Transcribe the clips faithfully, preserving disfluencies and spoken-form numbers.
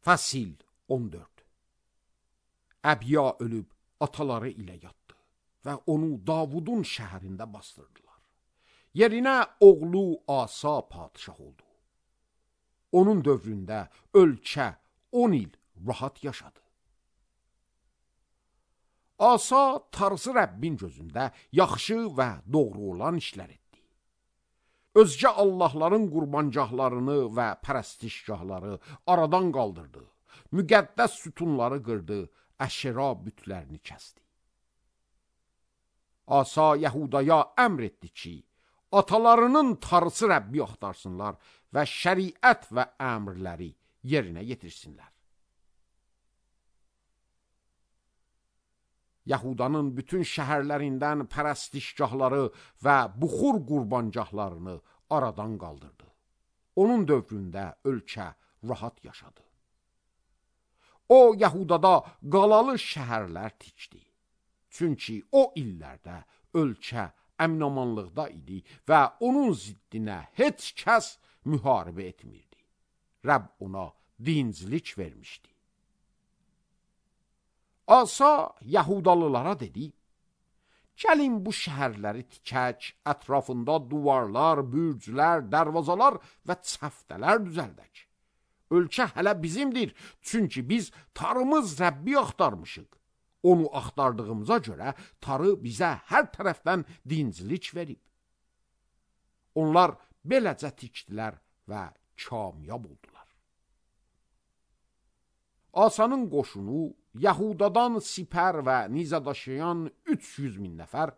Fəsil on dörd. Əbiya ölüb ataları ilə yatdı və onu Davudun şəhərində bastırdılar. Yerinə oğlu Asa padişah oldu. Onun dövründə ölkə on il rahat yaşadı. Asa tarzı Rəbbin gözündə yaxşı və doğru olan işlər etdi. Özgə Allahların qurbancahlarını və pərəstişgahları aradan qaldırdı. Müqəddəs sütunları qırdı, əşera bütlərini kəsdi. Asa Yəhudaya əmr etdi ki, atalarının tarzı Rəbbi axtarsınlar və şəriət və əmrləri yerinə yetirsinlər. Yahudanın bütün şəhərlərindən pərəstişgahları və buxur qurbancahlarını aradan qaldırdı. Onun dövründə ölkə rahat yaşadı. O, Yahudada qalalı şəhərlər tikdi. Çünki o illərdə ölkə əminamanlıqda idi və onun ziddinə heç kəs müharibə etmirdi. Rəbb ona dincilik vermişdi. Asa Yahudalılara dedi, gəlin bu şəhərləri tikək, ətrafında duvarlar, bürclər, dərvazalar və çəftələr düzəldək. Ölkə hələ bizimdir, çünki biz tarımız Rəbbi axtarmışıq. Onu axtardığımıza görə tarı bizə hər tərəfdən dincilik verib. Onlar beləcə tikdilər və kamyab oldular. Asanın qoşunu Yahudadan sipər və nizə daşıyan üç yüz min nəfər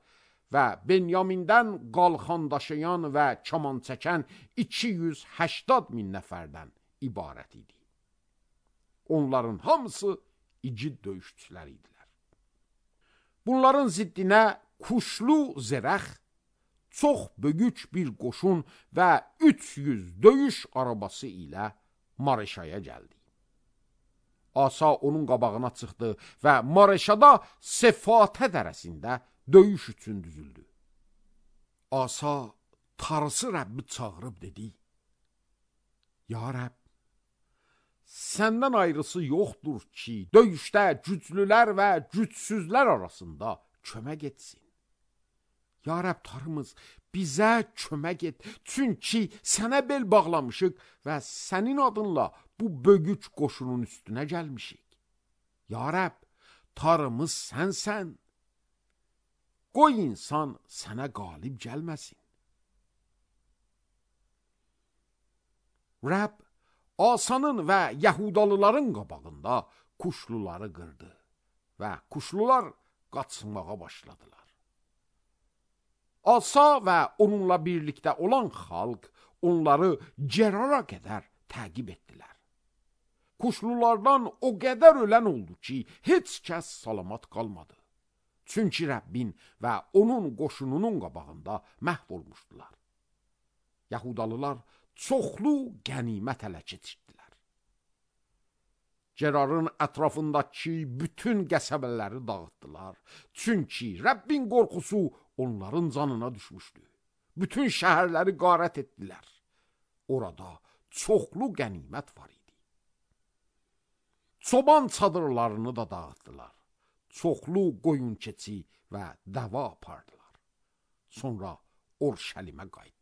və Benyamindən qalxan daşıyan və kaman çəkən iki yüz həştad min nəfərdən ibarət idi. Onların hamısı igid döyüşçülər idilər. Bunların ziddinə kuşlu zərəx, çox böyük bir qoşun və üç yüz döyüş arabası ilə Mareşaya gəldi. Asa onun qabağına çıxdı və Mareşada Sefatə dərəsində döyüş üçün düzüldü. Asa tarzı Rəbbi çağırıb dedi, Ya Rəbb, səndən ayrısı yoxdur ki, döyüşdə güclülər və gücsüzlər arasında kömək etsin. Ya Rəbb tarımız, bizə kömək et, çünki sənə bel bağlamışıq və sənin adınla bu böyük qoşunun üstünə gəlmişik. Ya Rəbb, tarımız sənsən. Qoy insan sənə qalib gəlməsin. Rəbb, Asanın və Yahudalıların qabağında kuşluları qırdı və kuşlular qaçmağa başladılar. Asa və onunla birlikdə olan xalq onları Cerara qədər təqib etdilər. Kuşlulardan o qədər ölən oldu ki, heç kəs salamat qalmadı. Çünki Rəbbin və onun qoşununun qabağında məhv olmuşdular. Yahudalılar çoxlu qənimət ələ keçirdilər. Cerarın ətrafındakı bütün qəsəbələri dağıtdılar. Çünki Rəbbin qorxusu onların canına düşmüşdü. Bütün şəhərləri qarət etdilər. Orada çoxlu qənimət var idi. Çoban çadırlarını da dağıtdılar. Çoxlu qoyun keçi və dəva apardılar. Sonra Orşəlimə qayıtdılar.